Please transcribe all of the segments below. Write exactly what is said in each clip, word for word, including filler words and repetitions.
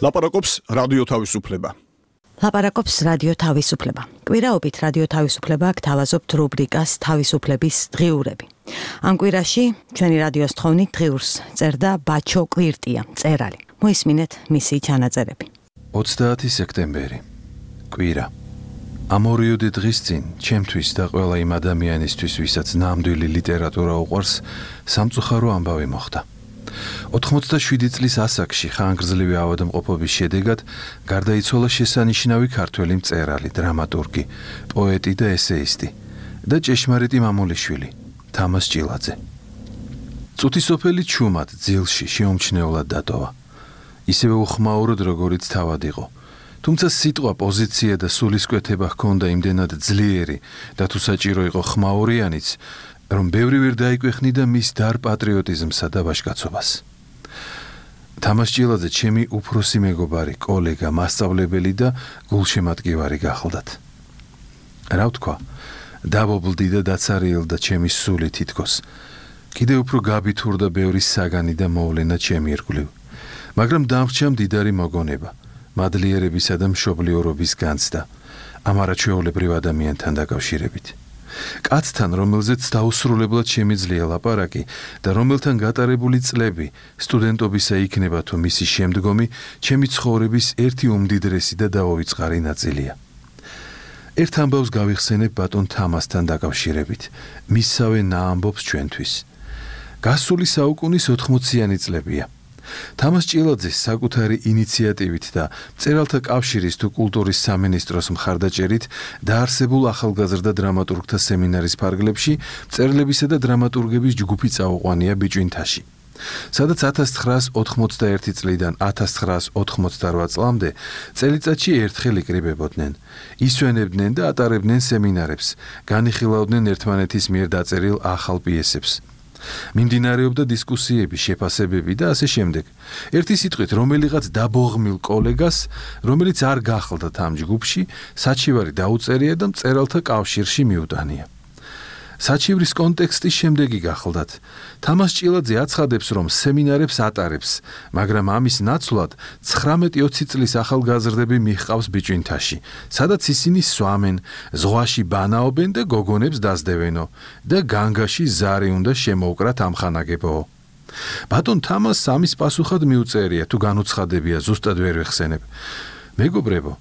ლაპარაკობს რადიო თავისუფლება. ლაპარაკობს რადიო თავისუფლება. კვირაობით რადიო თავისუფლება გთავაზობთ რუბრიკას თავისუფლების დღიურები. ამ კვირაში ჩვენი რადიოს თხოვნით დღიურს წერდა ბაჩო კვირტია, მწერალი. მოისმინეთ მისი ჩანაწერები. ოცდაათი სექტემბერი. კვირა. ამ ორიოდე დღის წინ ჩემთვის და ყველა იმ ადამიანისთვის, ვისაც ნამდვილი ლიტერატურა უყვარს, სამწუხარო ამბავი მოხდა. ოთხმოცდაშვიდი წლის ასაკში ხანგრძლივი ავადმყოფობის შედეგად გარდაიცვალა შესანიშნავი ქართველი მწერალი, დრამატურგი, პოეტი და ესეისტი და ჭეშმარიტი მამულიშვილი, თამაზ ჭილაძე. წუთისოფელი ჩუმად ძილში შეუმჩნევლად დატოვა. ისევე უხმაუროდ, როგორიც თავად იყო. თუმცა სიტყვა, პოზიცია და სულისკვეთება ჰქონდა იმდენად ძლიერი და თუ საჭირო იყო ხმაურიანიც, რომ ბევრი ვერ დაიკვეხნიდა მის დარ პატრიოტიზმსა და ვაჟკაცობას. თამაზ ჭილაძე ჩემი უფროსი მეგობარი, კოლეგა, მასწავლებელი და გულშემატკივარი გახლდათ. რა ვთქვა, დაბობლდი და დაცარიელდა ჩემი სული თითქოს. კიდევ უფრო გაბითურდა ბევრი საგანი და მოვლენა ჩემი ირგვლივ. მაგრამ დამრჩა მდიდარი მოგონება, მადლიერებისა და მშობლიურობის განცდა ამ არაჩვეულებრივ ადამიანთან დაკავშირებით. კაცთან, რომელზეც დაუსრულებლად შემიძლია ლაპარაკი და რომელთან გატარებული წლები სტუდენტობისა იქნება თუ მისი შემდგომი, ჩემი ცხოვრების ერთი უმდიდრესი და დაუვიწყარი ნაწილია. ერთ ამბავს გავიხსენებ ბატონ თამაზთან დაკავშირებით, მისსავე ნაამბობს ჩვენთვის. გასული საუკუნის ოთხმოციანი წლებია. თამაზ ჭილაძის საკუთარი ინიციატივით და მწერალთა კავშირის თუ კულტურის სამინისტროს მხარდაჭერით დაარსებულ ახალგაზრდა დრამატურგთა სემინარის ფარგლებში მწერლებისა და დრამატურგების ჯგუფი წაუყვანია ბიჭვინთაში. სადაც ათას ცხრაას ოთხმოცდაერთი წლიდან ათას ცხრაას ოთხმოცდარვა წლამდე წელიწადში ერთხელ იკრიბებოდნენ, ისვენებდნენ და ატარებდნენ სემინარებს, განიხილავდნენ ერთმანეთის მიერ დაწერილ ახალ პიესებს. მიმდინარეობდა დისკუსიები, შეფასებები და ასე შემდეგ. ერთი სიტყვით, რომელიღაც დაბოღმილ კოლეგას, რომელიც არ გახლდათ ამ ჯგუფში, საჩივარი დაუწერია და მწერალთა კავშირში მიუტანია. საჩივრის კონტექსტი შემდეგი გახლდათ. თამაზ ჭილაძე აცხადებს, რომ სემინარებს ატარებს, მაგრამ ამის ნაცვლად ცხრამეტი ოცი წლის ახალგაზრდები მიჰყავს ბიჭვინთაში, სადაც ისინი სვამენ, ზღვაში ბანაობენ და გოგონებს დასდევენო და განგაში ზარი უნდა შემოუკრათ ამხანაგებო. ბატონ თამაზს ამის პასუხად მიუწერია, თუ განუცხადებია, ზუსტად ვერ ვეხსენებ. მეგობრებო,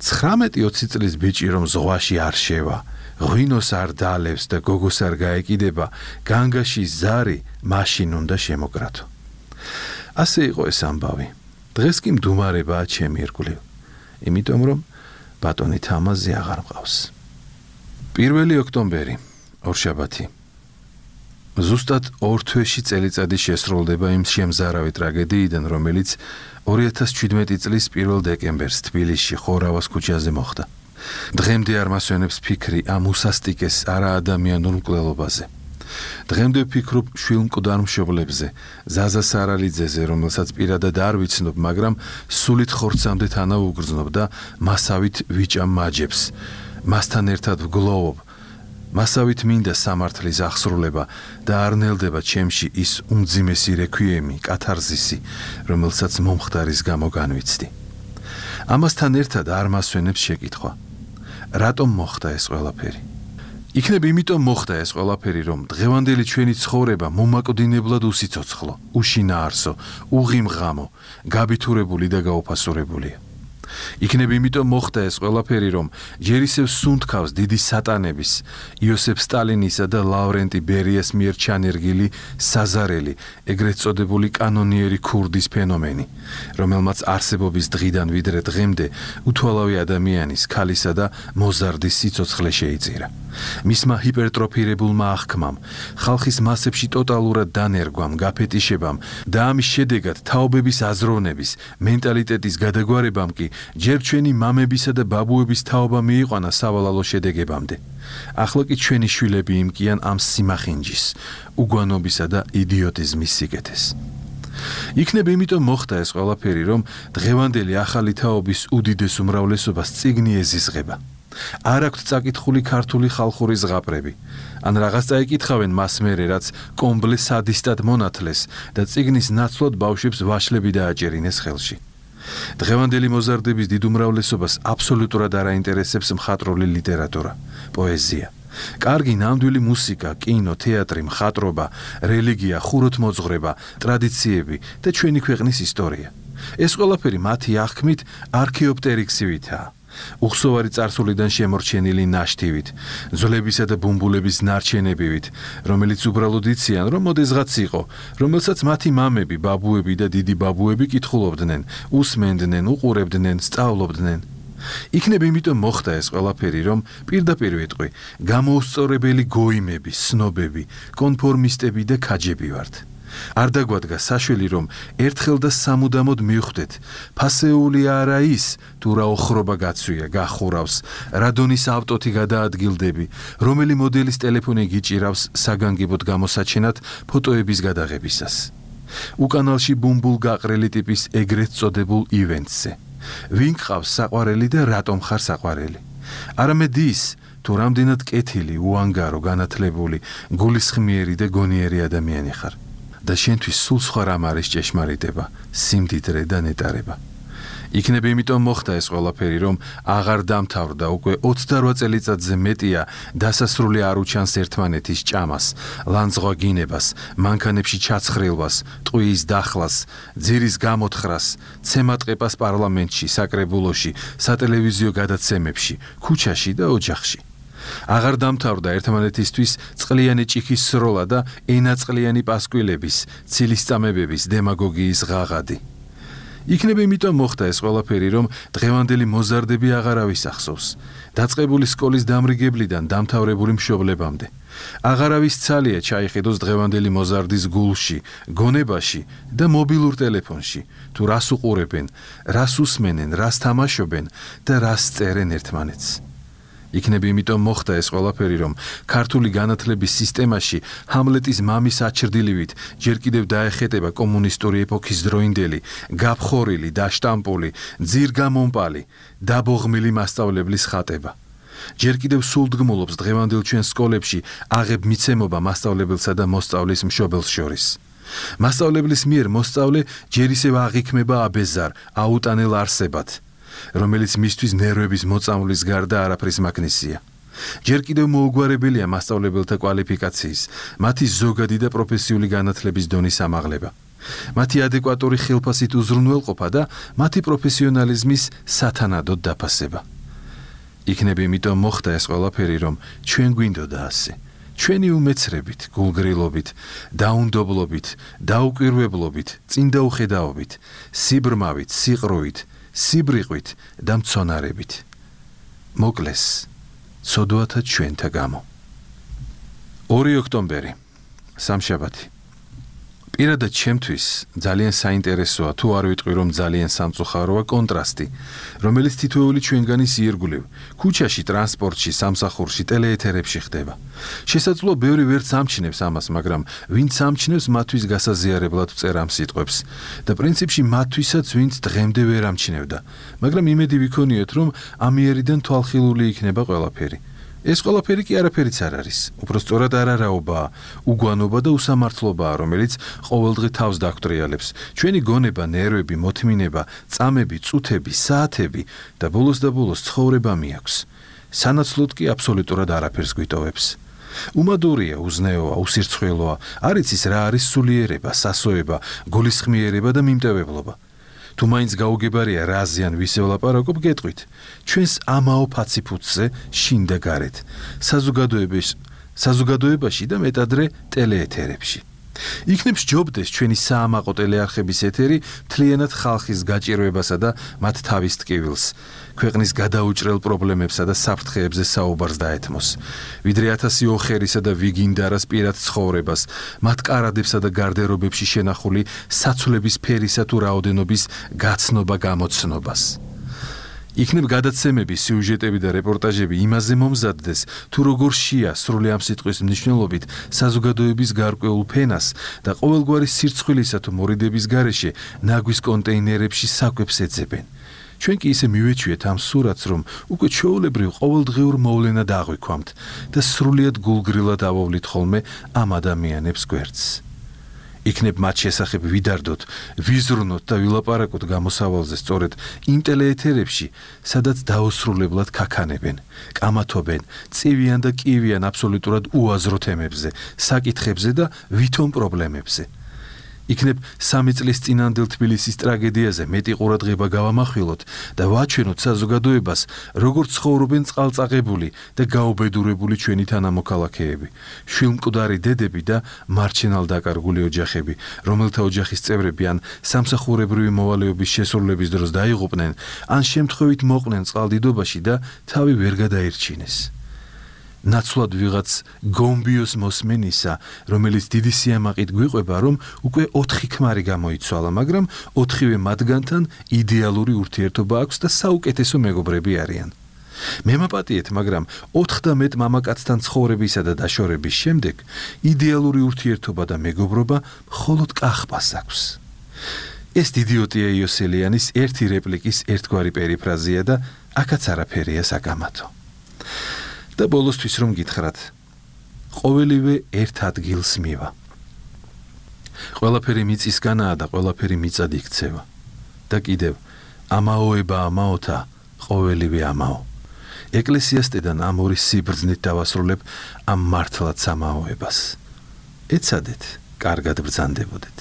ცხრამეტი ოცი წლის ბიჭი რომ ზღვაში არ შევა, ღვინოს არ დაალევს და გოგოს არ გაეკიდება, განგაში ზარი მაშინ უნდა შემოკრათო. ასე იყო ეს ამბავი. დღეს კი მდუმარებაა ჩემი ირგვლივ, იმიტომ რომ ბატონი თამაზი აღარ მყავს. პირველი ოქტომბერი, ორშაბათი. ზუსტად ორ თვეში წელიწადი შესრულდება იმ შემზარავი ტრაგედიიდან, რომელიც ორი ათას ჩვიდმეტი წლის პირველ დეკემბერს თბილისში ხორავას ქუჩაზე მოხდა. დღემდე არ მასვენებს ფიქრი ამ უსასტიკეს არაადამიანურ მკვლელობაზე. დღემდე ვფიქრობ შვილმკვდარ მშობლებზე, ზაზა სარალიძეზე, რომელსაც პირადად არ ვიცნობ, მაგრამ სულით ხორცამდე თანავ უგრძნობ და მასავით ვიჭამ მაჯებს. მასთან ერთად ვგლოვობ. მასავით მინდა სამართლის აღსრულება და არ ნელდება ჩემში ის უმძიმესი რექვიემი, კათარზისი, რომელსაც მომხდარის გამო განვიცდი. ამასთან ერთად არ მასვენებს შეკითხვა. რატომ მოხდა ეს ყველაფერი? იქნებ იმიტომ მოხდა ეს ყველაფერი, რომ დღევანდელი ჩვენი ცხოვრება მომაკვდინებლად უსიცოცხლო, უშინაარსო, უღიმღამო, გაბითურებული და გაუფასურებულია. იქნებ იმიტომ მოხდა ეს ყველაფერი, რომ ჯერ ისევ სუნთქავს დიდი სატანების, იოსებ სტალინისა და ლავრენტი ბერიას მიერ ჩანერგილი საზარელი, ეგრეთ წოდებული კანონიერი ქურდის ფენომენი, რომელმაც არსებობის დღიდან ვიდრე დღემდე უთვალავი ადამიანის, ქალისა და მოზარდის სიცოცხლე შეიწირა. მისმა ჰიპერტროფირებულმა აღქმამ, ხალხის მასებში ტოტალურად დანერგვამ, გაფეტიშებამ და ამის შედეგად თაობების აზროვნების, მენტალიტეტის გადაგვარებამ კი ჯერ ჩვენი მამებისა და ბაბუების თაობა მიიყვანა სავალალო შედეგებამდე. ახლა კი ჩვენი შვილები იმკიან ამ სიმახინჯის, უგვანობისა და იდიოტიზმის სიკეთეს. იქნებ იმიტომ მოხდა ეს ყველაფერი, რომ დღევანდელი ახალი თაობის უდიდეს უმრავლესობას წიგნი ეზიზღება. არ აქვთ წაკითხული ქართული ხალხური ზღაპრები. ან რაღაც წაიკითხავენ მას მერე, რაც კომბლე სადისტად მონათლეს და წიგნის ნაცვლად ბავშვებს ვაშლები დააჭერინეს ხელში. დღევანდელი მოზარდების დიდ უმრავლესობას აბსოლუტურად არ აინტერესებს მხატვრული ლიტერატურა, პოეზია. კარგი ნამდვილი მუსიკა, კინო, თეატრი, მხატვრობა, რელიგია, ხუროთმოძღვრება, ტრადიციები და ჩვენი ქვეყნის ისტორია. ეს ყველაფერი მათი აღქმით არქეოპტერიქსივითაა. უხსოვარი წარსულიდან შემორჩენილი ნაშთივით, ძვლებისა და ბუმბულების ნარჩენებივით, რომელიც უბრალოდ იციან, რომ მოდესღაც იყო, რომელსაც მათი მამები, ბაბუები და დიდი ბაბუები კითხულობდნენ, უსმენდნენ, უყურებდნენ, სწავლობდნენ. იქნებ იმიტომ მოხდა ეს ყველაფერი, რომ პირდაპირ ვიტყვი, გამოუსწორებელი გოიმები, სნობები, კონფორმისტები და ქაჯები ვართ. არ დაგვადგა საშველი, რომ ერთხელ და სამუდამოდ მივხვდეთ, ფასეული არა ის, თუ რა ოხრობა გაცვია, გახურავს, რა დონის ავტოთი გადაადგილდები, რომელი მოდელის ტელეფონი გიჭირავს საგანგებოდ გამოსაჩენად ფოტოების გადაღებისას. უკანალში ბუმბულ გაყრელი ტიპის ეგრეთ წოდებულ ივენტზე. ვინ გყავს საყვარელი და რატომ ხარ საყვარელი? არამედ ის, თუ რამდენად კეთილი, უანგარო, განათლებული, გულისხმიერი და გონიერი ადამიანი ხარ. და შენთვის სულ სხვა რამ არის ჭეშმარიტება, სიმდიდრე და ნეტარება. იქნებ იმიტომ მოხდა ეს ყველაფერი, რომ აღარ დამთავრდა უკვე ოცდარვა წელიწადზე მეტია დასასრული არ უჩანს ერთმანეთის ჭამას, ლანძღვაგინებას, მანქანებში ჩაცხრილვას, ტყუის დახლას, ძირის გამოთხრას, ცემატყეპას პარლამენტში, საკრებულოში, სატელევიზიო გადაცემებში, ქუჩაში და ოჯახში. აღარ დამთავრდა ერთმანეთისთვის წყლიანი ჭიქის სროლა და ენაწყლიანი პასკვილების, ცილისწამებების, დემაგოგიის ღაღადი. იქნებ იმიტომ მოხდა ეს ყველაფერი, რომ დღევანდელი მოზარდები აღარავის ახსოვს, დაწყებული სკოლის დამრიგებლიდან დამთავრებული მშობლებამდე. აღარავის ცალია ჩაიხედოს დღევანდელი მოზარდის გულში, გონებაში და მობილურ ტელეფონში, თუ რას უყურებენ, რას უსმენენ, რას თამაშობენ და რას წერენ ერთმანეთს. იქნებ იმიტომ მოხდა ეს ყველაფერი, რომ ქართული განათლების სისტემაში ჰამლეტის მამის აჩრდილივით ჯერ კიდევ დაეხეტება კომუნისტური ეპოქის დროინდელი, გაფხორილი, დაშტამპული, ძირგამომპალი, დაბოღმილი მასწავლებლის ხატება. ჯერ კიდევ სულდგმულობს დღევანდელ ჩვენ სკოლებში აღებ მიცემობა მასწავლებელსა და მოსწავლის მშობელს შორის. მასწავლებლის მიერ მოსწავლე ჯერ ისევ აღიქმება აბეზარ, აუტანელ არსებად, რომელიც მისთვის ნერვების მოწამვლის გარდა არაფრის მაგნისია. ჯერ კიდევ მოუგვარებელია მასწავლებელთა კვალიფიკაციის, მათი ზოგადი და პროფესიული განათლების დონის ამაღლება, მათი ადეკვატური ხელფასით უზრუნველყოფა და მათი პროფესიონალიზმის სათანადოდ დაფასება. იქნებ იმიტომ მოხდა ეს ყველაფერი, რომ ჩვენ გვინდოდა ასე. ჩვენი უმეცრებით, გულგრილობით, დაუნდობლობით, დაუკვირვებლობით, წინდაუხედაობით, სიბრმავით, სიყრუით, სიბრიყვით და მცონარებით. მოკლეს, ცოდვათა ჩვენთა გამო. ორი ოქტომბერი, სამშაბათი. პირადად ჩემთვის ძალიან საინტერესოა, თუ არ ვიტყვი, რომ ძალიან სამწუხაროა კონტრასტი, რომელიც თითოეული ჩვენგანის იერგულევ, ქუჩაში, ტრანსპორტში, სამსახურში, ტელეეთერებში ხდება. შესაძლოა ბევრი ვერც ამჩნევს ამას, მაგრამ ვინც ამჩნევს, მათთვის გასაზიარებლად ვწერ ამ სიტყვებს და პრინციპში მათთვისაც, ვინც დღემდე ვერ ამჩნევდა, მაგრამ იმედი ვიქონიოთ, რომ ამიერიდან თვალხილული იქნება ყველაფერი. ეს ყველაფერი კი არაფერიც არ არის, უпростоრად არარაობაა, უგვანობა და უსამართლობაა, რომელიც ყოველდღე თავს დაგტრიალებს. ჩვენი გონება, ნერვები, მოთმინება, წამები, წუთები, საათები და ბოლოს და ბოლოს ცხოვრება მიაქვს. სანაცვლოდ კი აბსოლუტურად არაფერს გვიტოვებს. უმადურია, უზნეოა, უსირცხვილოა, არ იცის რა არის სულიერება, სასოება, გულისხმიერება და მიმტევებლობა. თუ მაინც გაუგებარია რაზე ან ვისე ვლაპარაკობ, გეტყვით. ჩვენს ამაო ფაციფუცზე შინ და გარეთ, საზოგადოებაში, საზოგადოებაში და მეტადრე ტელეეთერებში. იქნებ სჯობდეს ჩვენი საამაყო ტელეარხების ეთერი მთლიანად ხალხის გაჭირვებასა და მათ თავის ტკივილს, ქვეყნის გადაუჭრელ პრობლემებსა და საფრთხეებზე საუბარს დაეთმოს, ვიდრე ათასი ოხერისა და ვიგინდარას პირად ცხოვრებას, მათ კარადებსა და გარდერობებში შენახული საცვლების ფერისა თუ რაოდენობის გაცნობა გამოცნობას. იქნებ გადაცემები, სიუჟეტები და რეპორტაჟები იმაზე მომზადდეს, თუ როგორ შია სრული ამ სიტყვის მნიშვნელობით საზოგადოების გარკვეულ ფენას და ყოველგვარი სირცხვილისა თუ მორიდების გარეშე ნაგვის კონტეინერებში საკვებს ეძებენ. ჩვენ კი ისე მივეჩვიეთ ამ სურათს, რომ უკვე ჩვეულებრივ ყოველდღიურ მოვლენად აღვიქვამთ და სრულიად გულგრილად ავოვლით ხოლმე ამ ადამიანებს გვერდს. იქნებ მათ შესახებ ვიდარდოთ, ვიზრუნოთ და ვილაპარაკოთ გამოსავალზე სწორედ იმ ტელეეთერებში, სადაც დაუსრულებლად ქაქანებენ, კამათობენ, წივიან და კივიან აბსოლუტურად უაზრო თემებზე, საკითხებზე და ვითომ პრობლემებზე. იქნებ სამი წლის წინანდელ თბილისის ტრაგედიაზე მეტი ყურადღება გავამახვილოთ და ვაჩვენოთ საზოგადოებას, როგორც ცხოვრობენ წყალწაღებული და გაუბედურებული ჩვენი თანამოქალაქეები, შვილმკვდარი დედები და მარჩენალდაკარგული ოჯახები, რომელთა ოჯახის წევრები ან სამსახურებრივი მოვალეობის შესრულების დროს დაიღუპნენ, ან შემთხვევით მოყვნენ წყალდიდობაში და თავი ვერ გადაირჩინეს. ნაცვლად ვიღაც გომბიოს მოსმენისა, რომელიც დიდი სიამაყით გვიყვება, რომ უკვე ოთხი ქმარი გამოიცვალა, მაგრამ ოთხივე მათგანთან იდეალური ურთიერთობა აქვს და საუკეთესო მეგობრები არიან. მემაპატიეთ, მაგრამ ოთხ და მეტ მამაკაცთან ცხოვრებისა და დაშორების შემდეგ იდეალური ურთიერთობა და მეგობრობა მხოლოდ კახბას აქვს. ეს დიდიოტია იოსელიანის ერთი რეპლიკის ერთგვარი პერიფრაზია და აქაც არაფერია საკამათო. და ბოლოსთვის რომ გითხრათ, ყოველივე ერთ ადგილს მივა. ყველაფერი მიწისგანაა და ყველაფერი მიწად იქცევა. და კიდევ, ამაოება ამაოთა, ყოველივე ამაო. ეკლესიასტედან ამ ორი სიბრძნით დავასრულებ ამ მართლად სამაოებას. ეცადეთ, კარგად ბრძანდებოდეთ.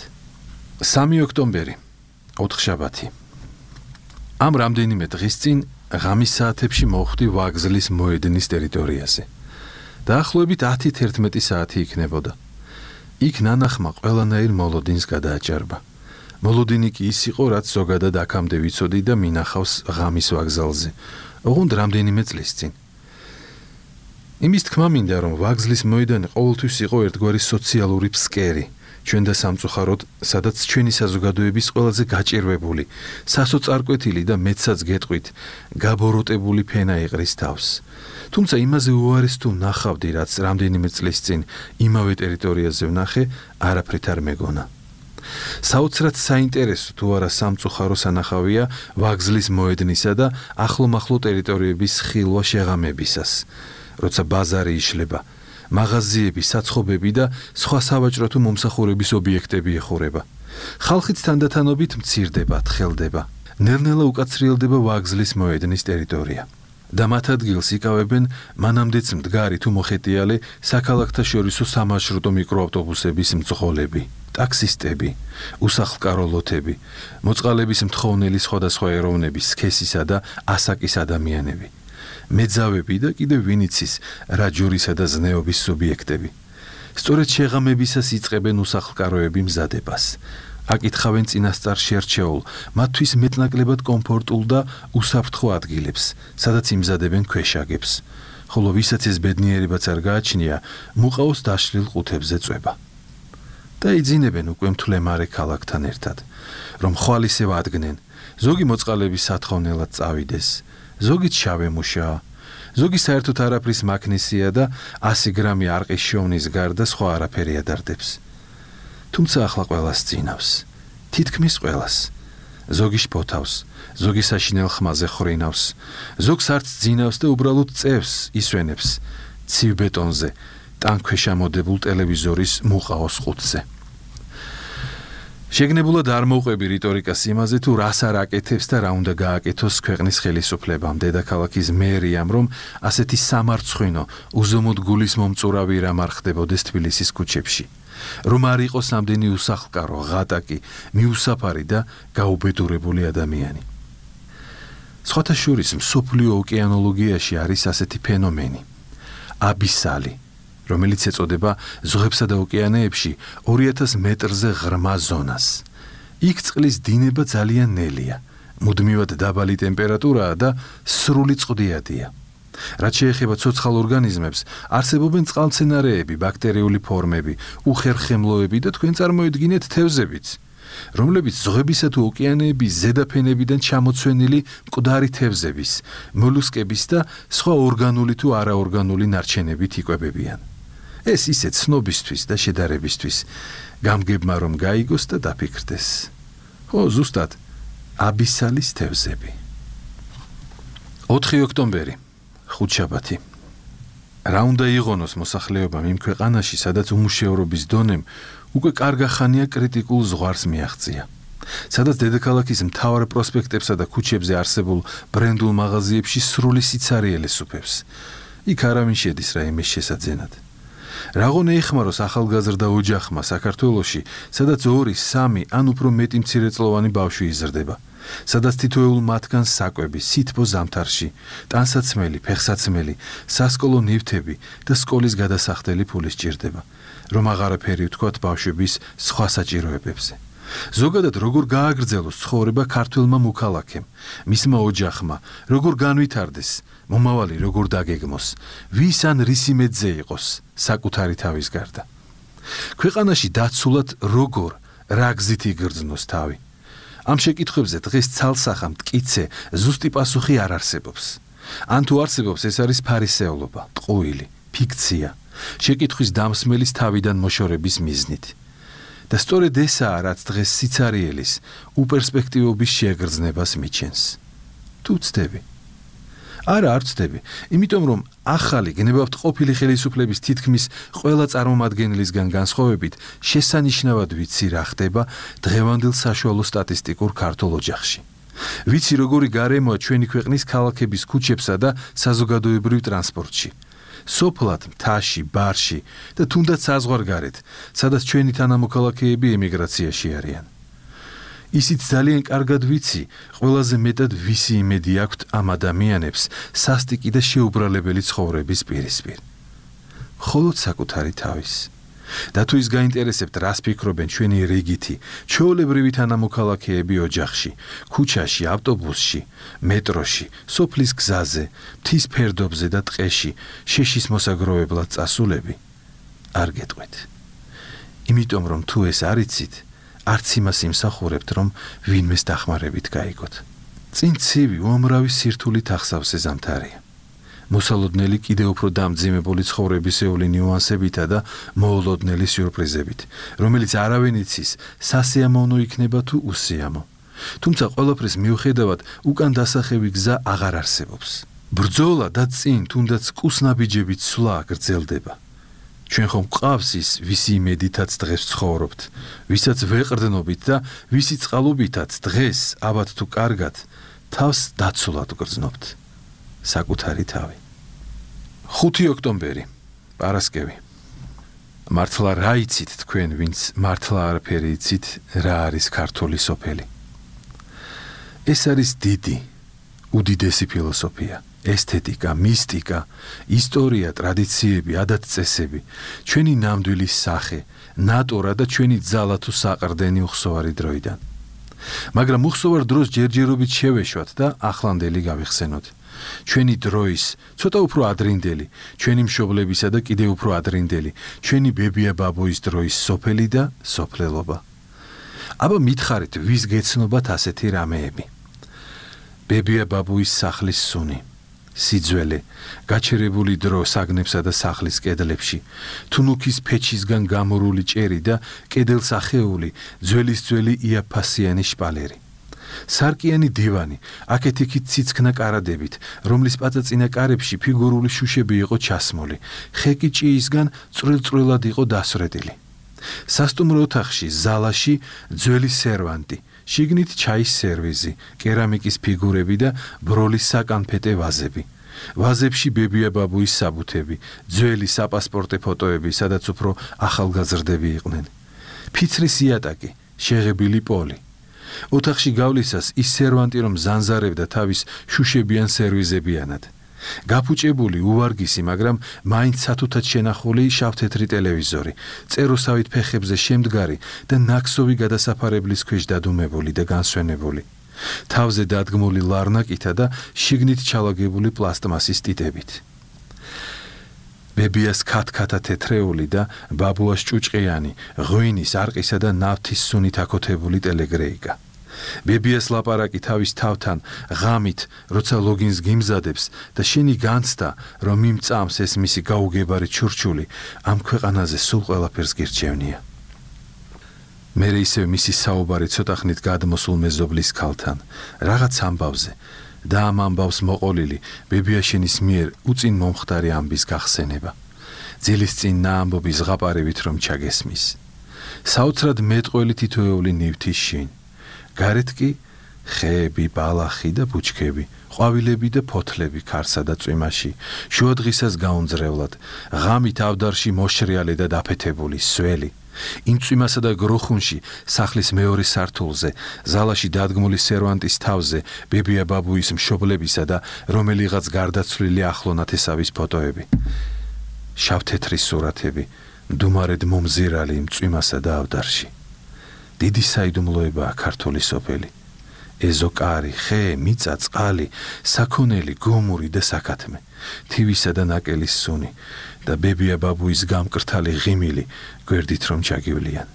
სამი ოქტომბერი, ოთხშაბათი. ამ რამდენიმე დღის წინ ღამის საათებში მოვხვდი ვაგზლის მოედნის ტერიტორიაზე. დაახლოებით ათი თერთმეტი საათი იქნებოდა. იქ ნანახმა ყველანაირ მოლოდინს გადააჭარბა. მოლოდინი კი ის იყო, რაც ზოგადად აქამდე ვიცოდი და მინახავს ღამის ვაგზალზე. ოღონდ რამდენიმე წლის წინ. იმის თქმა მინდა, რომ ვაგზლის მოედანი ყოველთვის იყო ერთგვარი სოციალური ფსკერი. ჩვენ და სამწუხაროდ, სადაც ჩვენი საზოგადოების ყველაზე გაჭირვებული, სასოწარკვეთილი და მეცაც გეტყვით, გაბოროტებული ფენა იყრის თავს. თუმცა იმაზე უარეს თუ ნახავდი, რაც რამდენიმე წლის წინ იმავე ტერიტორიაზე ვნახე, არაფრით არ მეგონა. საოცრად საინტერესო თუ არა სამწუხარო სანახავია ვაგზლის მოედნისა და ახლომახლო ტერიტორიების ხილვა შეღამებისას, როცა ბაზარი იშლება. მაღაზიები, საცხობები და სხვა სავაჭრო თუ მომსახურების ობიექტები ეხურება. ხალხიც თანდათანობით მცირდება, თხელდება. ნელ-ნელა უკაცრიელდება ვაგზლის მოედნის ტერიტორია. და მათ ადგილს იკავებენ მანამდეც მდგარი თუ მოხეტიალე საქალაქთაშორისო სამარშრუტო მიკროავტობუსების მძღოლები, ტაქსისტები, უსახლკაროლოთები, მოწყალების მთხოვნელი სხვადასხვა ეროვნების სქესისა და ასაკის ადამიანები. მეძავები და კიდევ ვინიცის რაჯურისა და ზნეობის სუბიექტები. სწორედ შეღამებისას იწყებენ უსახლკაროები მზადებას. აკითხავენ წინასწარ შერჩეულ, მათთვის მეტნაკლებად კომფორტულ და უსაფრთხო ადგილებს, სადაც იმზადებენ ქვეშაგებს, ხოლო ვისაც ეს ბედნიერებაც არ გააჩნია, მუყაოს დაშლილ ყუთებზე წვება. და იძინებენ უკვე მთლემარე ქალაქთან ერთად, რომ ხვალისევ ადგნენ, ზოგი მოწყალების სათხოვნელად წავიდეს. ზოგი ჩავემუშა, ზოგი საერთოდ არაფრის მაქნისია და ასი გრამი არყის შოვნის გარდა სხვა არაფერი ადარდებს. თუმცა ახლა ყველას წინავს, თითქმის ყველას. ზოგი შფოთავს, ზოგი საშინელ ხმაზე ხრინავს, ზოგს არც ძინავს და უბრალოდ წევს, ისვენებს ცივ ბეტონზე, ტანქვეშ ამოდებულ ტელევიზორის მუყაოს ყუთზე. შეგნებულად არ მოვყვები რიტორიკას იმაზე, თუ რას არ აკეთებს და რა უნდა გააკეთოს ქვეყნის ხელისუფლებამ, დედაქალაქის მერიამ, რომ ასეთი სამარცხვინო, უზომოდ გულის მომწურავი რამ არ ხდებოდეს თბილისის ქუჩებში. რომ არ იყოს ამდენი უსახლკარო, ღატაკი, მიუსაფარი და გაუბედურებული ადამიანი. სხვათა შორის მსოფლიო ოკეანოლოგიაში არის ასეთი ფენომენი. აბისალი, რომელიც ეწოდება ზღვებსა და ოკეანეებში ორი ათას მეტრზე ღრმა ზონას. იქ წყლის დინება ძალიან ნელია, მუდმივად დაბალი ტემპერატურაა და სრული წყდიადია. რაც შეეხება ცოცხალ ორგანიზმებს, არსებობენ წყალმცენარეები, ბაქტერიული ფორმები, უხერხემლოები და თქვენ წარმოედგინეთ თევზებიც, რომლებიც ზღვებისა თუ ოკეანეების ზედაფენებიდან ჩამოცვენილი მკვდარი თევზების, მოლუსკების და სხვა ორგანული თუ არაორგანული ნარჩენებით იკვებებიან. ეს ისე ცნობისთვის და შედარებისთვის, გამგებმა რომ გაიგოს და დაფიქრდეს. ხო, ზუსტად, აბისალის თევზები. ოთხი ოქტომბერი, ხუთშაბათი. რა უნდა იღონოს მოსახლეობამ იმ ქვეყანაში, სადაც უმუშევრობის დონემ უკვე კარგახანია კრიტიკულ ზღვარს მიაღწია. სადაც დედაქალაქის მთავარ პროსპექტებსა და ქუჩებზე არსებულ ბრენდულ მაღაზიებში სრული სიცარიელე სუფევს. იქ არავინ შედის რაიმეს შესაძენად. Რაღონ ეხმაროს ახალგაზრდა ოჯახმა საქართველოში, სადაც ორი, სამი ან უფრო მეტი მცირეწლოვანი ბავშვი იზრდება. სადაც თითოეულ მათგანს საკვები, სითბო ზამთარში, ტანსაცმელი, ფეხსაცმელი, სასკოლო ნივთები და სკოლის გადასახდელი ფული სჭირდება, რომ აღარაფერი ვთქვათ ბავშვების სხვა საჭიროებებზე. ზოგადად როგორ გააგრძელოს ცხოვრება ქართველმა მოქალაქემ, მისმა ოჯახმა, როგორ განვითარდეს, მომავალი როგორ დაგეგმოს, ვის ან რისი მეძე იყოს საკუთარი თავის გარდა. ქვეყანაში დაცულად როგორ, რა გზით იგრძნოს თავი. ამ შეკითხვებზე დღეს ცალსახა მტკიცე ზუსტი პასუხი არ არსებობს. ან თუ არსებობს, ეს არის ფარისეულობა, ტყუილი, ფიქცია, შეკითხვის დამსმელის თავიდან მოშორების მიზნით. და სწორედ ესაა, რაც დღეს სიცარიელის, უპერსპექტივობის შეგრძნებას მიჩენს. თუ ვცდები? არა, არ ვცდები, იმიტომ რომ ახალი გნებავთ ყოფილი ხელისუფლების თითქმის ყველა წარმომადგენლისგან განსხვავებით შესანიშნავად ვიცი რა ხდება დღევანდელ საშუალო სტატისტიკურ ქართულ ოჯახში. ვიცი როგორი გარემოა ჩვენი ქვეყნის ქალაქების ქუჩებსა და საზოგადოებრივ ტრანსპორტში. სოფლად, მთაში, ბარში და თუნდაც საზღვარგარეთ, სადაც ჩვენი თანამოქალაქეები ემიგრაციაში არიან. ისიც ძალიან კარგად ვიცი, ყველაზე მეტად ვისი იმედი აქვთ ამ ადამიანებს სასტიკი და შეუბრალებელი ცხოვრების პირისპირ. მხოლოდ საკუთარი თავის. და თუ ის გაინტერესებთ, რას ფიქრობენ ჩვენი რიგითი, ჩვეულებრივი თანამოქალაქეები ოჯახში, ქუჩაში, ავტობუსში, მეტროში, სოფლის გზაზე, მთის ფერდობზე და ტყეში, შეშის მოსაგროვებლად წასულები, არ გეტყვით. იმიტომ რომ თუ ეს არ იცით, არც იმას იმსახურებთ, რომ ვინმეს დახმარებით გაიგოთ. წინ ცივი, უამრავი სირთულით ახსავს ეს ზამთარია. მოსალოდნელი კიდევ უფრო დამძიმებული ცხოვრებისეული ნიუანსებითა და მოულოდნელი სიურპრიზებით, რომელიც არავინ იცის, სასიამოვნო იქნება თუ უსიამო. თუმცა ყველაფრის მიუხედავად, უკან დასახევი გზა აღარ არსებობს. ბრძოლა და წინ თუნდაც კუსნაბიჯებით სვლა გრძელდება. ჩვენ ხომ გვყავს ის, ვისი იმედითაც დღეს ცხოვრობთ, ვისაც ვეყრდნობით და ვისი წყალობითაც დღეს, აბათ თუ კარგად, თავს დაცულად გრძნობთ. საკუთარი თავი. ხუთი ოქტომბერი, პარასკევი. მართლა რა იცით თქვენ, ვინც მართლა არაფერი იცით, რა არის ქართული სოფელი? ეს არის დიდი, უდიდესი ფილოსოფია, ესთეტიკა, მისტიკა, ისტორია, ტრადიციები, ადათ-წესები, ჩვენი ნამდვილი სახე, ნატურა და ჩვენი ძალა თუ საყრდენი უხსოვარი დროიდან. მაგრამ უხსოვარ დროს ჯერჯერობით შევეშვათ და ახლანდელი გავიხსენოთ. ჩვენი დროის, ცოტა უფრო ადრინდელი, ჩვენი მშობლებისა და კიდევ უფრო ადრინდელი, ჩვენი ბებია-ბაბუის დროის სოფელი და სოფლელობა. აბა მითხარით, ვის გეცნობათ ასეთი რამეები? ბებია-ბაბუის სახლის სუნი, სიძველე, გაჩერებული დრო საგნებსა და სახლის კედლებში, თუნუქის ფეჩისგან გამორული ჭერი და კედელს ახეული ძველის-ძველი იაფასიანი შპალერი. სარკიანი დივანი, აქეთ-იქით ციცქნა კარადებით, რომლის პაწაწინა კარებში ფიგურული შუშები იყო ჩასმული, ხეკი ჭიისგან წვრილ-წვრილად იყო დასრედილი. სასტუმრო ოთახში, ზალაში ძველი სერვანტი, შიგნით ჩაის სერვიზი, კერამიკის ფიგურები და ბროლის საკანფეტე ვაზები. ვაზებში ბებია-ბაბუის საბუთები, ძველი საპასპორტე ფოტოები, სადაც უფრო ახალგაზრდები იყვნენ. ფიცრის იატაკი, შეღებილი პოლი. ოთახში გავლისას ის სერვანტი რომ ზანზარებდა თავის შუშებიან სერვიზებიანად. გაფუჭებული, უვარგისი, მაგრამ მაინც სათუთად შენახული შავთეთრი ტელევიზორი, წეროსავით ფეხებზე შემდგარი და ნაქსოვი გადასაფარებლის ქვეშ დადუმებული და განსვენებული. თავზე დადგმული ლარნაკითა და შიგნით ჩალაგებული პლასტმასის ტიტებით. ბებიას ქათქათა თეთრეული და ბაბუას ჭუჭყიანი, ღვინის, არყისა და ნავთის სუნით აკოთებული ტელეგრეიკა. ბებიას ლაპარაკი თავის თავთან, ღამით, როცა ლოგინს გიმზადებს და შენი განცდა, რომ იმ წამს ეს მისი გაუგებარი ჩურჩული ამ ქვეყანაზე სულ ყველაფერს გირჩევნია. მერე ისევ მისი საუბარი ცოტა ხნით გადმოსულ მეზობლის ქალთან, რაღაც ამბავზე, და ამ ამბავს მოყოლილი ბებიაშენის მიერ უწინ მომხდარი ამბის გახსენება. ძილის წინ ნაამბობი ზღაპარევით რომ ჩაგესმის. საოცრად მეტყველი თითოეული ნივთის შინ. გარეთ კი ხეები, ბალახი და ბუჩქები, ყვავილები და ფოთლები ქარსა და წვიმაში, შუადღისას გაუნძრევლად, ღამით ავდარში მოშრიალე და დაფეთებული სველი. იმ წვიმასა და გროხუნში სახლის მეორე სართულზე, ზალაში დადგმული სერვანტის თავზე, ბებია ბაბუის მშობლებისა და რომელიღაც გარდაცვლილი ახლო ნათესავის ფოტოები. შავთეთრი სურათები, მდუმარედ მომზირალი იმ წვიმასა და ავდარში. დიდი საიდუმლოებაა ქართული სოფელი. ეზოკარი, ხე, მიწა, წყალი, საქონელი, გომური და საქათმე, თივისა და ნაკელის სუნი და ბებია ბაბუის გამკრთალი ღიმილი გვერდით რომ ჩაგივლიან.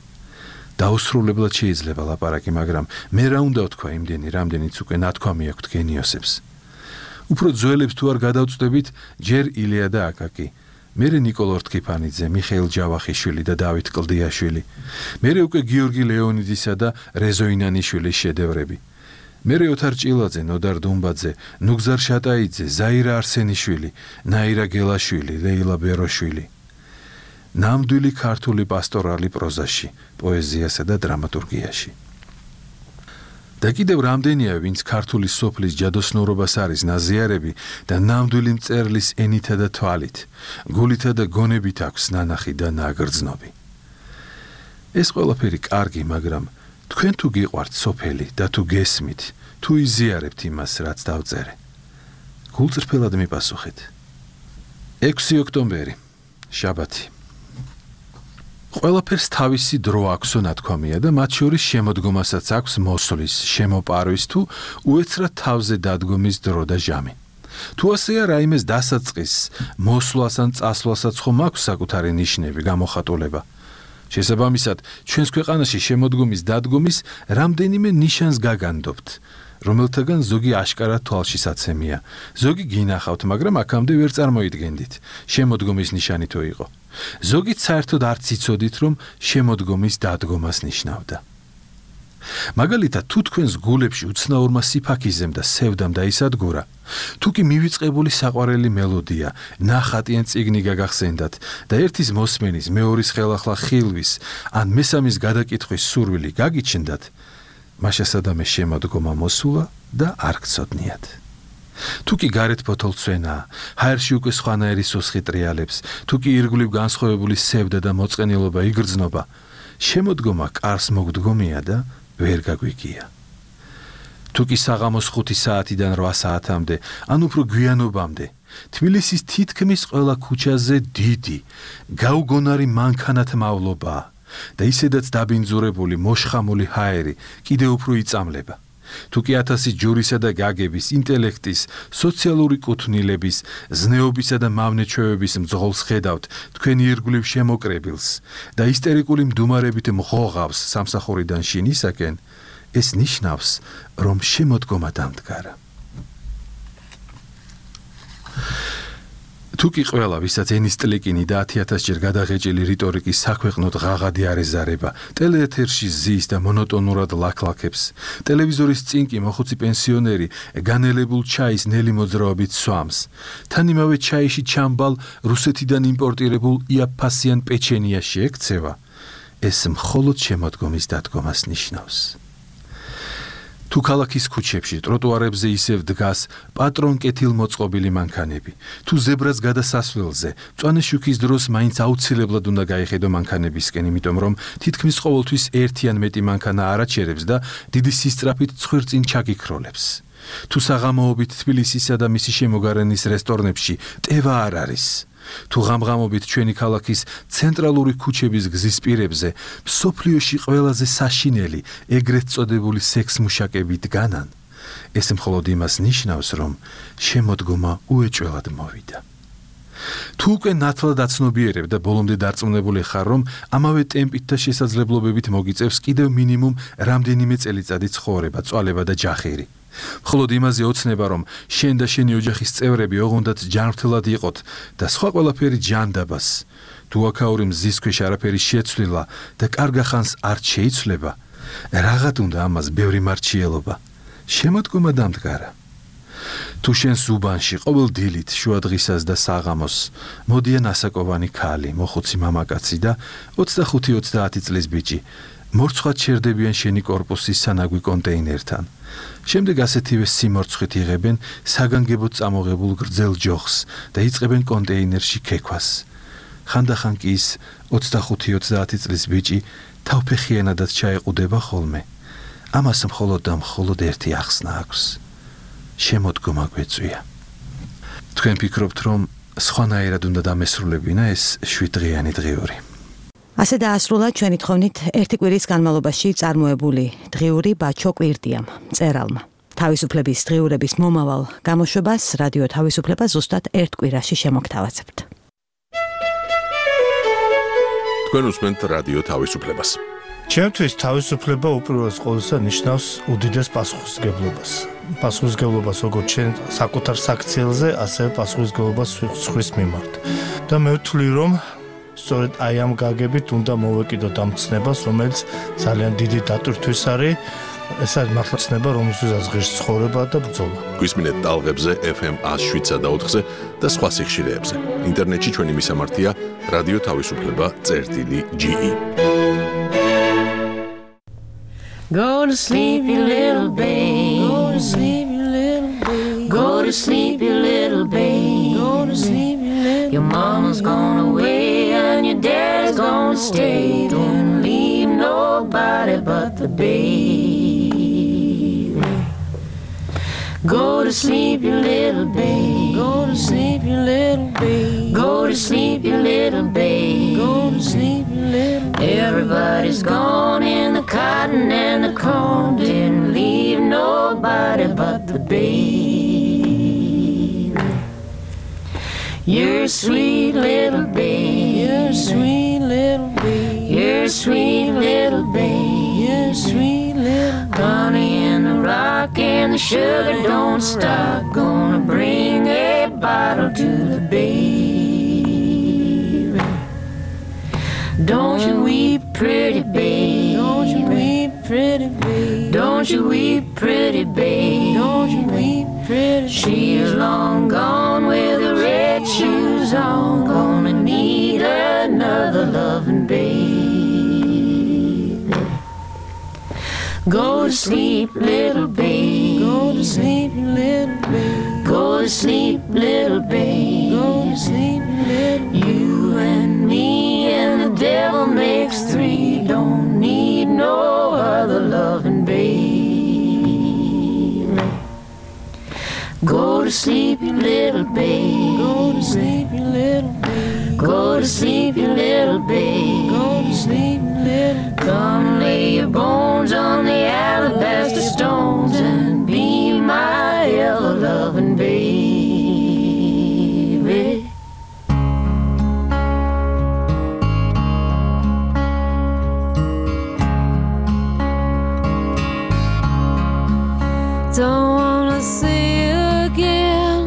დაუსრულებლად შეიძლება ლაპარაკი, მაგრამ მე რა უნდა ვთქვა იმდენი, რამდენიც უკვე ნათქვამი აქვთ გენიოსებს. უფრო ძველებს თუ არ გადავწდებით, ჯერ ილია და აკაკი, მერე ნიკოლო რთქიფანიძე, მიხეილ ჯავახიშვილი და დავით კლდიაშვილი, მერე უკვე გიორგი ლეონიდისა და რეზო ინანიშვილის შედევრები. მერე ოთარ ჭილაძე, ნოდარ დუმბაძე, ნუგზარ შატაიძე, ზაირა არსენიშვილი, ნაირა გელაშვილი, ლეილა ბეროშვილი. ნამდვილი ქართული პასტორალი პროზაში, პოეზიასა და დრამატურგიაში. და კიდევ რამდენია, ვინც ქართული სოფლის ჯადოსნურობას არის ნაზიარები და ნამდვილი მწერლის ენითა და თვალით, გულითა და გონებით აქვს ნანახი და ნაგრძნობი. ეს ყველაფერი კარგი, მაგრამ თქვენ თუ გიყვართ სოფელი და თუ გესმით, თუ იზიარებთ იმას, რაც დავწერე. გულწრფელად მიპასუხეთ. ექვსი ოქტომბერი, შაბათი. ყველაფერს თავისი დრო აქვსო ნათქვამია და მათ შორის შემოდგომასაც აქვს მოსვლის, შემოპარვის თუ უეცრად თავზე დადგომის დრო და ჟამი. თუ ასეა რაიმეს დასაწყის, მოსვლას ან წასვლასაც ხომ აქვს საკუთარი ნიშნები, გამოხატულება. შესაბამისად, ჩვენს ქვეყანაში შემოდგომის დადგომის რამდენიმე ნიშანს გაგანდობთ, რომელთაგან ზოგი აშკარად თვალშისაცემია, ზოგი გინახავთ, მაგრამ აქამდე ვერ წარმოიდგენდით, შემოდგომის ნიშანი თუ იყო. ზოგით საერთოდ არც იცოდით, რომ შემოდგომის დადგომას ნიშნავდა. მაგალითად, თუ თქვენს გულებში უცნაურმა სიფაქიზემ და სევდამ დაისადგურა, თუ კი მივიწყებული საყვარელი მელოდია, ნახატი ან წიგნი გაგახსენდათ და ერთის მოსმენის, მეორის ხელახლა ხილვის, ან მესამის გადაკითხვის სურვილი გაგიჩნდათ, მაშასადამე შემოდგომა მოსულა და არ გცოდნიათ. თუ კი გარეთ ფოთოლცვენაა, ჰაერში უკვე სხვანაირი სუსხი ტრიალებს, თუ კი ირგვლივ განსხვავებული სევდა და მოწყენილობა იგრძნობა, შემოდგომა კარს მოგდგომია და ვერ გაგვიგია. თუ კი საღამოს ხუთი საათიდან რვა საათამდე, ან უფრო გვიანობამდე, თბილისის თითქმის ყველა ქუჩაზე დიდი, გაუგონარი მანქანათმავლობაა და ისედაც დაბინძურებული, მოშხამული ჰაერი კიდევ უფრო იწამლება. თუ კი ათასი ჯურისა და გაგების, ინტელექტის, სოციალური კუთვნილების, ზნეობისა და მავნეჩვევების მძღოლს ხედავთ თქვენი ირგვლივ შემოკრებილს და ისტერიკული მდუმარებით მღოღავს სამსახურიდან შინისაკენ, ეს ნიშნავს, რომ შემოდგომა დამდგარა. თუ კი ყველა, ვისაც ენის ტლიკინი და ათი ათასჯერ გადაღეჭილი რიტორიკის საქვეყნოდ ღაღადი არ ეზარება, ტელეეთერში ზის და მონოტონურად ლაქლაქებს, ტელევიზორის წინ კი მოხუცი პენსიონერი განელებულ ჩაის ნელი მოძრაობით სვამს, თან იმავე ჩაიში ჩამბალ რუსეთიდან იმპორტირებულ იაფფასიან პეჩენიაში ექცევა, ეს მხოლოდ შემოდგომის დადგომას ნიშნავს. თუ ქალაქის ქუჩებში, ტროტუარებზე ისევ დგას პატრონკეთილმოწყობილი მანქანები, თუ ზებრას გადასასვლელზე, მწვანე შუქის დროს მაინც აუცილებლად უნდა გაიხედო მანქანებისკენ, იმიტომ რომ თითქმის ყოველთვის ერთი ან მეტი მანქანა არაჩერებს და დიდი სისწრაფით ცხვირწინ ჩაგიქროლებს. თუ საღამოობით თბილისისა და მისი შემოგარენის რესტორნებში ტევა არ არის, თუ ღამღამობით ჩვენი ქალაქის ცენტრალური ქუჩების გზის პირებზე მსოფლიოში ყველაზე საშინელი, ეგრეთ წოდებული სექსმუშაკები დგანან, ეს მხოლოდ იმას ნიშნავს, რომ შემოდგომა უეჭველად მოვიდა. თუ უკვე ნათლად აცნობიერებ და ბოლომდე დარწმუნებული ხარ, რომ ამავე ტემპით და შესაძლებლობებით მოგიწევს კიდევ მინიმუმ რამდენიმე წელიწადი ცხოვრება, წვალება და ჯახირი. მხოლოდ იმაზე ოცნება, რომ შენ და შენი ოჯახის წევრები ოღონდად ჯანმრთელად იყოთ და სხვა ყველაფერი ჯანდაბას, თუ აქაური მზის ქვეშ არაფერი შეცვლილა და კარგახანს არ შეიცვლება, რაღაც უნდა ამას ბევრი მარჩიელობა, შემოდგომა დამდგარა. თუ შენ ზუბანში ყოველ დილით შუადღისას და საღამოს მოდიან ასაკოვანი ქალი, მოხუცი მამაკაცი და ოცდახუთი ოცდაათი წლის ბიჭი მორცხვად შერდებიან შენი კორპუსის სანაგვი კონტეინერთან. შემდეგ ასეთივე სიმორცხვით იღებენ საგანგებოდ წამოღებულ გრძელ ჯოხს და იწყებენ კონტეინერში ქექვას. ხანდახან კი ის ოცდახუთი ოცდაათი წლის ბიჭი თავფეხიანადაც ჩაეყუდება ხოლმე. ამას მხოლოდ და მხოლოდ ერთი ახსნა აქვს. შემოდგომა გვეწვია. თქვენ ფიქრობთ, რომ სხვანაირად უნდა დამესრულებინა ეს შვიდდღიანი დღიური. ასე დაასრულა ჩვენი თხოვნით ერთი კვირის განმავლობაში წარმოებული დღიური ბაჩო კვირდიამ, მწერალმა. თავისუფლების დღიურების მომავალ გამოშვებას რადიო თავისუფლება ზუსტად ერთ კვირაში შემოგთავაზებთ. თქვენ უსმენთ რადიო თავისუფლებას. ჩემთვის თავისუფლება უპირველეს ყოვლისა ნიშნავს უდიდეს პასუხისმგებლობას. პასუხისმგებლობას როგორც ჩვენ საკუთარ საქციელზე, ასევე პასუხისმგებლობას სხვის მიმართ. და მე ვთვლი, რომ სწორედ აი ამ გაგებით უნდა მოვეკიდოთ ამ ცნებას, რომელიც ძალიან დიდი დატვირთვის არის. ეს არის მართლა ცნება, რომელსაც ღირს ცხოვრება და ბრძოლა. გვისმინეთ ტალღებზე F M one oh seven point four-ზე და სხვა სიხშირეებზე. ინტერნეტში ჩვენი მისამართია რადიო თავისუფლება წერტილი G E. Go to sleep, you little babe. Go to sleep, you little babe. Go to sleep, you little babe. Go to sleep, you little babe. Your mama's gone away and your dad's gonna stay. Don't leave nobody but the baby. Go to sleep, you little babe. Go to sleep, you little babe. Go to sleep, you little babe. Go to sleep, you little babe. Everybody's gone in the cotton and the corn. Didn't leave nobody but the baby. You're a sweet little babe. You're a sweet little babe. You're a sweet little babe. You're a sweet little babe. Honey in the rock and the sugar don't stop. Gonna bring a bottle to the baby. Don't you weep, pretty babe. Don't you weep, pretty babe. Don't you weep, pretty babe. Don't you weep, pretty babe. She is long gone with the red shoes on. Gonna need another loving baby. Go to sleep, little babe. Go to sleep, little babe. Go to sleep, little babe. Go to sleep, little babe. You and me and the devil makes three. Don't need no other loving babe. Go to sleep, you little babe. Go to sleep, you little babe. Go to sleep, you little babe. Go to sleep, little babe. Come lay your bones on the alabaster stones and be my ever-loving baby. Don't wanna see you again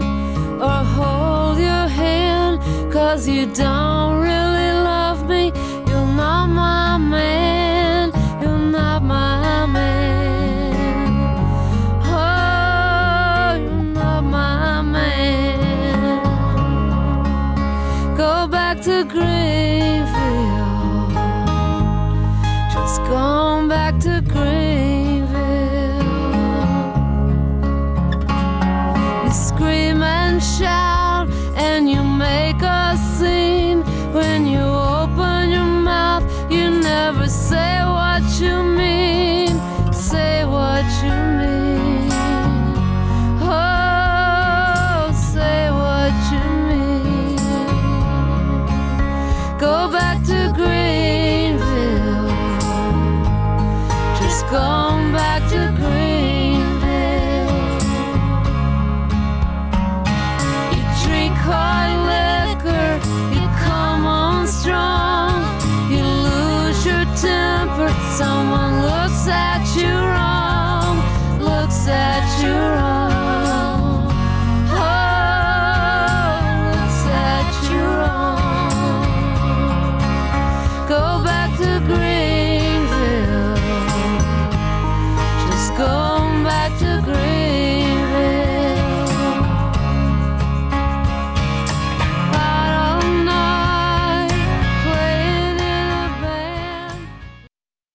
or hold your hand, 'cause you don't really love me. You're not my man. You're not my man. Oh, you're not my man. Go back to Greenfield. Just going back to Greenfield. You scream and shout and you make a scene. When you open your mouth, you never say what you mean. Say what you mean. Oh, say what you mean. Go back to Greenville. Just going back to Greenville. You drink hard liquor, you come on strong. You lose your temper, someone looks at you